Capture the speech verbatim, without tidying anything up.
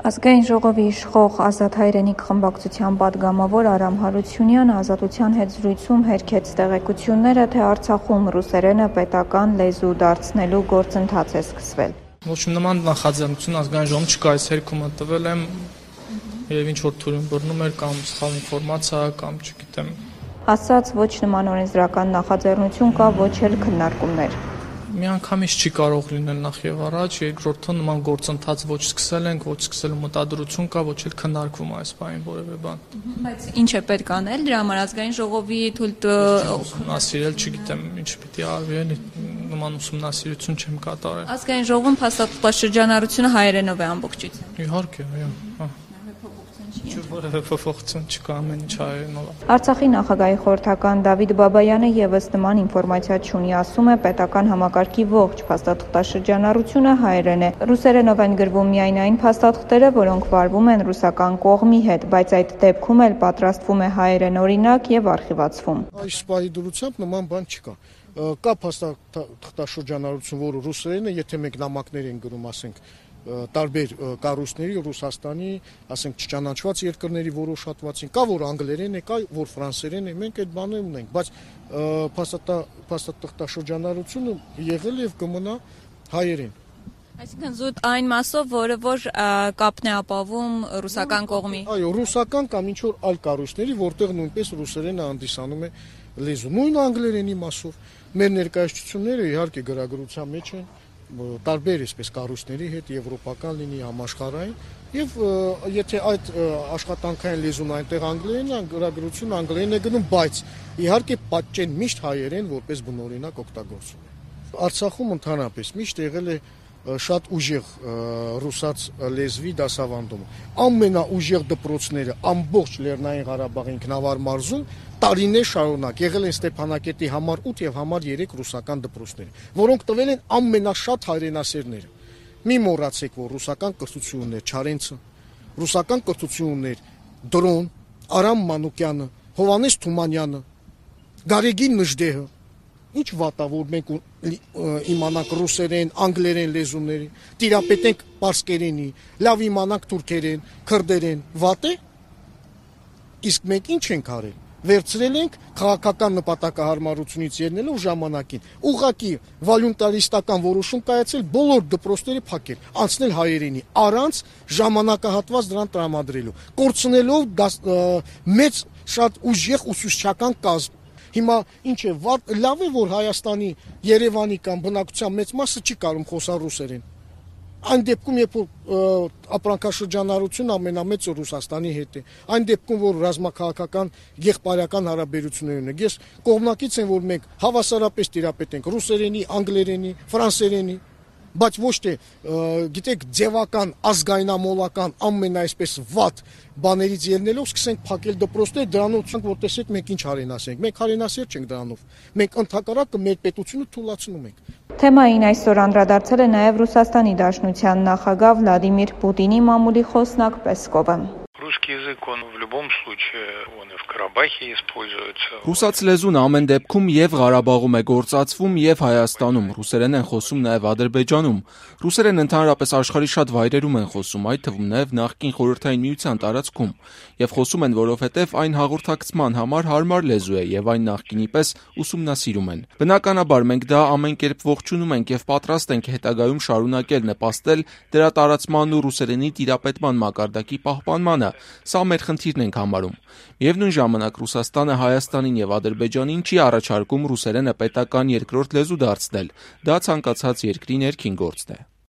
Ազգային ժողովի իշխող Ազատ հայրենիք խմբակցության պատգամավոր Արամ Հարությունյանը Ազատության հետ զրույցում հերքեց տեղեկությունները, թե Արցախում ռուսերենը պետական լեզու դարձնելու գործընթաց է սկսվել։ Ոչ նման նախաձեռնություն ազգային ժողովում չկա, այս հերքումը տվել եմ եւ ինչ որ թույլ բռնում էր կամ սխալ ինֆորմացիա կամ չգիտեմ։ Ասաց ոչ նման օրենսդրական նախաձեռնություն կա, ոչ էլ քննարկումներ։ Միանգամից չի կարող լինել նախ եւ առաջ, երկրորդը նման գործընթաց ոչ սկսել ենք, ոչ սկսելու մտադրություն կա, ոչ էլ քննարկվում այս բանին որևէ բան։ Բայց ինչ է պետք անել դրա համար ազգային ժողովի թույլ ուսումնասիրել, չգիտեմ, ինչ պիտի արվի, էլի նման ուսումնասիրություն չեմ կատարել։ Ազգային ժողովում փաստաթղթաշրջանառությունը հայերենով է ամբողջությամբ։ Իհարկե, այո, հա։ Որևէ փոփոխություն չկա, ամեն ինչ հայերենով է։ Արցախի նախագահի խորհրդական Դավիթ Բաբայանը եւս նման ինֆորմացիա չունի, ասում է պետական համակարգի ողջ փաստաթղթաշրջանառությունը հայերեն է։ Ռուսերենով են գրվում միայն այն փաստաթղթերը, որոնք վարվում են ռուսական կողմի հետ, բայց այդ դեպքում էլ պատրաստվում է հայերեն օրինակ եւ արխիվացվում։ Այս սպայի դրությամբ նման բան չկա։ Կա փաստաթղթաշրջանառություն, որը ռուսերեն է, եթե մենք նամակներ են գրում, ասենք տարբեր կառույցների, Ռուսաստանի, ասենք չճանաչված երկրների որոշ հատվածին, կա որ անգլերեն է, կա որ ֆրանսերեն է, մենք այդ բանը ունենք, բայց փաստաթղթաշրջանառությունը եղել եւ կմնա հայերեն։ Այսինքն զուտ այն մասով, որը որ կապն է ապավում ռուսական կողմի։ Այո, ռուսական կամ ինչ որ այլ կառույցների, որտեղ նույնպես ռուսերենը հանդիսանում է լեզու։ Նույն անգլերենի մասով մեր ներկայացությունները իհարկե գրագրության մեջ են տարբեր այսպես կառույցների հետ եվրոպական լինի համաշխարհային եւ եթե այդ աշխատանքային լեզուն այնտեղ անգլերենն է, գրագրությունը անգլերեն է գնում, բայց իհարկե պատճեն միշտ հայերեն որպես բնօրինակ օգտագործում է։ Արցախում ընդհանրապես միշտ եղել է շատ ուժեղ ռուսաց լեզվի դասավանդումը։ Ամենաուժեղ դպրոցները ամբողջ Լեռնային Ղարաբաղի ինքնավար մարզում տարիներ շարունակ եղել են Ստեփանակերտի համար ութ եւ համար երեք ռուսական դպրոցներ, որոնք տվել են ամենաշատ հայրենասերները։ Մի մոռացեք, որ ռուսական կրթություններ Չարենցը, ռուսական կրթություններ Դրոն, Արամ Մանուկյանը, Հովանես Թումանյանը, Գարեգին Նժդեհը։ Ինչ վատ է, որ մենք իմանանք ռուսերեն, անգլերեն լեզուների, տիրապետենք պարսկերենի, լավ իմանանք թուրքերեն, քրդերեն, վատ է։ Իսկ մենք ինչ ենք արել։ Վերցրել ենք քաղաքական նպատակահարմարությունից ելնելով ժամանակին, ուղղակի վոլյունտարիստական որոշում կայացել բոլոր դպրոցները փակել, անցնել հայերենի, առանց ժամանակահատված դրան տրամադրելու, կորցնելով մեծ շատ ուժեղ ուսուցչական կազմ։ Հիմա ինչ է, լավ է, որ Հայաստանի, Երևանի կամ բնակության մեծ մասը չի կարող խոսալ ռուսերեն։ Այն դեպքում, երբ որ ապրանքաշրջանառությունը ամենամեծը Ռուսաստանի հետ է, այն դեպքում, որ ռազմաքաղաքական եղբայրական հարաբերություններ ունենք, ես կողմնակից եմ, որ մենք հավասարապես տիրապետենք ռուսերենի, անգլերենի, ֆրանսերենի, բայց ոչ թե գիտեք ձևական, ազգայնամոլական ամեն այսպես վատ բաներից ելնելով սկսենք փակել դպրոցներ, դրանով որ տեսեք մենք ինչ հայրենասեր ենք։ Մենք հայրենասեր չենք դրանով։ Մենք ընդհակառակը մեր պետությունը թուլացնում ենք։ Թեմային այսօր անդրադարձել է նաև Ռուսաստանի Դաշնության նախագահ Վլադիմիր Պուտինի մամուլի խոսնակ Պեսկովը։ Русский язык, он в любом случае, он и в Карабахе используется. Ռուսաց լեզուն ամեն դեպքում եւ Ղարաբաղում է գործածվում եւ Հայաստանում, ռուսերեն են խոսում նաեւ Ադրբեջանում։ Ռուսերեն ընդհանրապես աշխարհի շատ վայրերում են խոսում, այդ թվում նաեւ նախկին Խորհրդային Միության տարածքում, եւ խոսում են, որովհետեւ այն հաղորդակցման համար հարմար լեզու է եւ այն նախկինի պես ուսումնասիրում են։ Բնականաբար մենք դա ամեն կերպ ողջունում ենք եւ պատրաստ ենք հետագայում շարունակել նպաստել դրա տարածման ու ռուսերենի տիրապետման մակարդակի պահպանմանը։ Սա մեր խնդիրն ենք համարում։ Միևնույն ժամանակ Ռուսաստանը Հայաստանին եւ Ադրբեջանին չի առաջարկում ռուսերենը պետական երկրորդ լեզու դարձնել։ Դա ցանկացած երկրի ներքին գործն է։